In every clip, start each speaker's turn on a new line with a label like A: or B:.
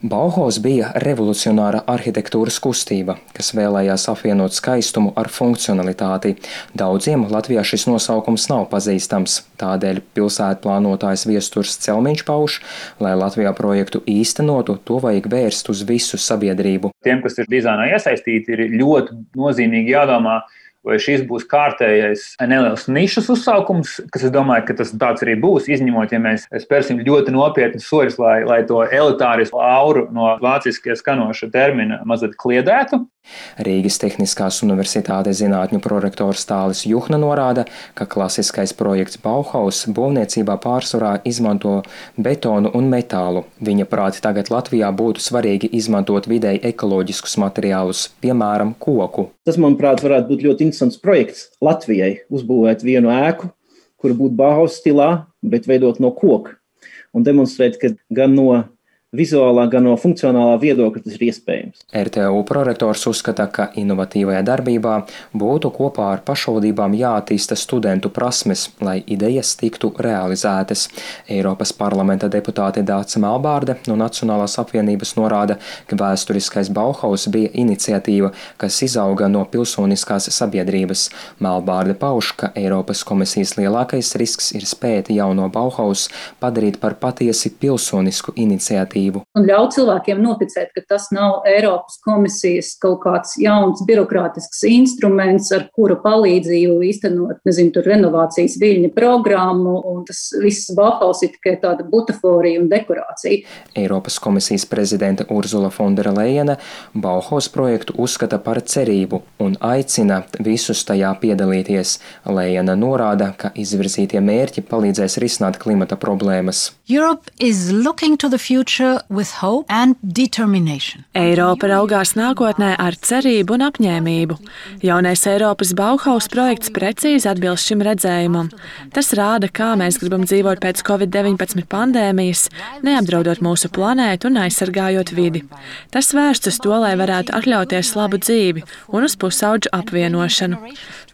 A: Bauhaus bija revolucionāra arhitektūras kustība, kas vēlējās apvienot skaistumu ar funkcionalitāti. Daudziem Latvijā šis nosaukums nav pazīstams, tādēļ pilsētplānotājs Viesturs Celmiņš pauž, lai Latvijā projektu īstenotu, to vajag vērst uz visu sabiedrību.
B: Tiem, kas ir dizainā iesaistīti, ir ļoti nozīmīgi jādomā, vai šis būs kārtējais neliels nišas uzsaukums, kas es domāju, ka tas tāds arī būs, izņemot, ja mēs spērsim ļoti nopietnas soļus, lai to elitārismu auru no vāciskie skanoša termina mazliet kliedētu.
A: Rīgas Tehniskās universitātes zinātņu prorektors Tālis Juhna norāda, ka klasiskais projekts Bauhaus būvniecībā pārsvarā izmanto betonu un metālu. Viņa prāt tagad Latvijā būtu svarīgi izmantot videi ekoloģiskus materiālus, piemēram, koku.
C: Tas, manuprāt, varētu būt ļoti interesants projekts Latvijai uzbūvēt vienu ēku, kura būtu Bauhaus stilā, bet veidot no koka un demonstrēt, ka gan no vizuālā, gan no funkcionālā viedokļa tas ir iespējams.
A: RTU prorektors uzskata, ka inovatīvajā darbībā būtu kopā ar pašvaldībām jāattīsta studentu prasmes, lai idejas tiktu realizētas. Eiropas parlamenta deputāte Dāca Melbārde no Nacionālās apvienības norāda, ka vēsturiskais Bauhaus bija iniciatīva, kas izauga no pilsoniskās sabiedrības. Melbārde pauž, ka Eiropas komisijas lielākais risks ir spēt jauno Bauhaus padarīt par patiesi pilsonisku iniciatīvu.
D: Un ļaut cilvēkiem noticēt, ka tas nav Eiropas komisijas kaut kāds jauns birokrātisks instruments, ar kura palīdzību īstenot, renovācijas viļņa programmu, un tas viss Bauhaus ir tikai tāda butaforija un dekorācija.
A: Eiropas komisijas prezidente Urzula Fondera Lejene Bauhaus projektu uzskata par cerību un aicina visus tajā piedalīties. Lejene norāda, ka izvirzītie mērķi palīdzēs risināt klimata problēmas.
E: Europe is looking to the future with hope and determination.
F: Eiropa raugās nākotnē ar cerību un apņēmību. Jaunais Eiropas Bauhaus projekts precīzi atbilst šim redzējumam. Tas rāda, kā mēs gribam dzīvot pēc Covid-19 pandēmijas, neapdraudot mūsu planētu un aizsargājot vidi. Tas vērsts uz to, lai varētu atļauties labu dzīvi un uz pusaudžu apvienošanu.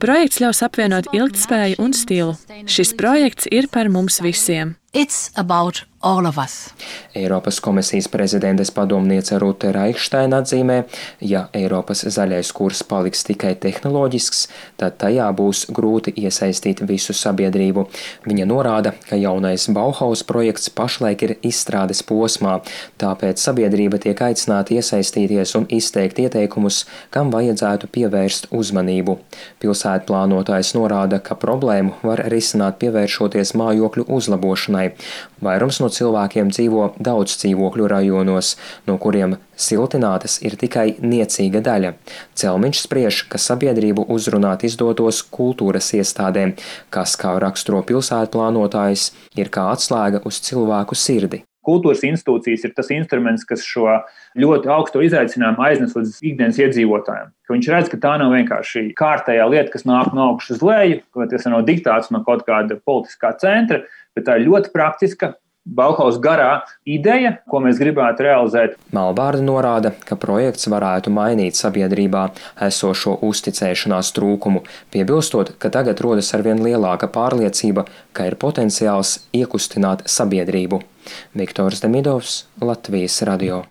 F: Projekts ļaus apvienot ilgtspēju un stilu. Šis projekts ir par mums visiem.
E: It's about all of us.
A: Eiropas komisijas prezidentes padomniece Rute Reichsteina atzīmē, ja Eiropas zaļais kurs paliks tikai tehnoloģisks, tad tajā būs grūti iesaistīt visu sabiedrību. Viņa norāda, ka jaunais Bauhaus projekts pašlaik ir izstrādes posmā, tāpēc sabiedrība tiek aicināta iesaistīties un izteikt ieteikumus, kam vajadzētu pievērst uzmanību. Pilsētplānotājs norāda, ka problēmu var risināt pievēršoties mājokļu uzlabošanai. Vairums no cilvēkiem dzīvo daudz dzīvokļu rajonos, no kuriem siltinātas ir tikai niecīga daļa. Celmiņš spriež, ka sabiedrību uzrunāt izdotos kultūras iestādēm, kas, kā raksturo pilsētplānotājs, ir kā atslēga uz cilvēku sirdi.
B: Kultūras institūcijas ir tas instruments, kas šo ļoti augsto izaicinājumu aiznes līdz ikdienas iedzīvotājiem. Viņš redz, ka tā nav vienkārši kārtējā lieta, kas nāk no augšas uz leju, ka tas nav diktāts no kaut kāda politiskā centra, bet tā ir ļoti praktiska Bauhaus garā ideja, ko mēs gribētu realizēt.
A: Melbārde norāda, ka projekts varētu mainīt sabiedrībā esošo uzticēšanās trūkumu, piebilstot, ka tagad rodas arvien lielāka pārliecība, ka ir potenciāls iekustināt sabiedrību. Viktors Demidovs, Latvijas radio.